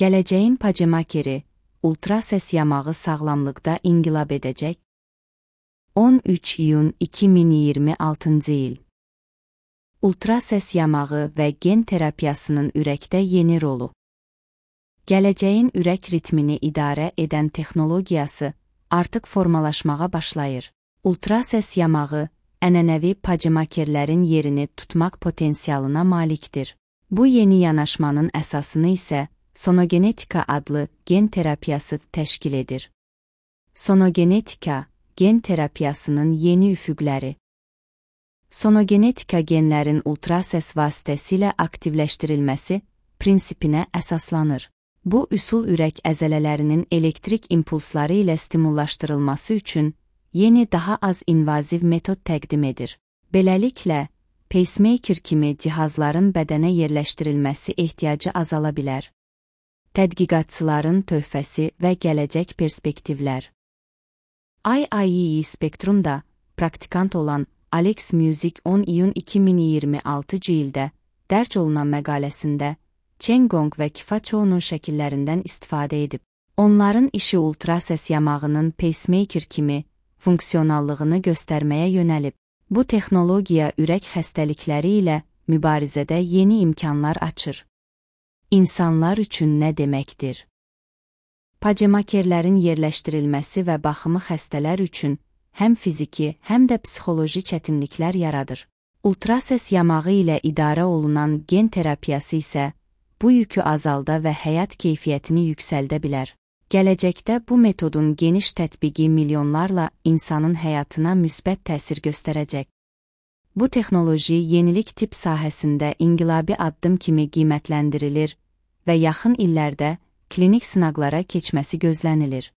Gələcəyin pacemakeri, ultrases yamağı sağlamlıqda inqilab edəcək. 13 iyun 2026 il. Ultrases yamağı və gen terapiyasının ürəkdə yeni rolu. Gələcəyin ürək ritmini idarə edən texnologiyası artıq formalaşmağa başlayır. Ultrases yamağı ənənəvi pacemakerlərin yerini tutmaq potensialına malikdir. Bu yeni yanaşmanın əsasını isə sonogenetika adlı gen terapiyası təşkil edir. Sonogenetika, gen terapiyasının yeni üfüqləri. Sonogenetika genlərin ultrases vasitəsilə aktivləşdirilməsi prinsipinə əsaslanır. Bu üsul ürək əzələlərinin elektrik impulsları ilə stimullaşdırılması üçün yeni daha az invaziv metod təqdim edir. Beləliklə, pacemaker kimi cihazların bədənə yerləşdirilməsi ehtiyacı azala bilər. Tədqiqatçıların töhfəsi və gələcək perspektivlər. IEEE Spektrumda praktikant olan Alex Music 10 iyun 2026 ildə dərc olunan məqaləsində Qigong və Qigong'un şəkillərindən istifadə edib. Onların işi ultrases yamağının pacemaker kimi funksionallığını göstərməyə yönəlib. Bu texnologiya ürək xəstəlikləri ilə mübarizədə yeni imkanlar açır. İnsanlar üçün nə deməkdir? Pacemakerlərin yerləşdirilməsi və baxımı xəstələr üçün həm fiziki, həm də psixoloji çətinliklər yaradır. Ultrases yamağı ilə idarə olunan gen terapiyası isə bu yükü azalda və həyat keyfiyyətini yüksəldə bilər. Gələcəkdə bu metodun geniş tətbiqi milyonlarla insanın həyatına müsbət təsir göstərəcək. Bu texnoloji yenilik tibb sahəsində inqilabi addım kimi qiymətləndirilir və yaxın illərdə klinik sınaqlara keçməsi gözlənilir.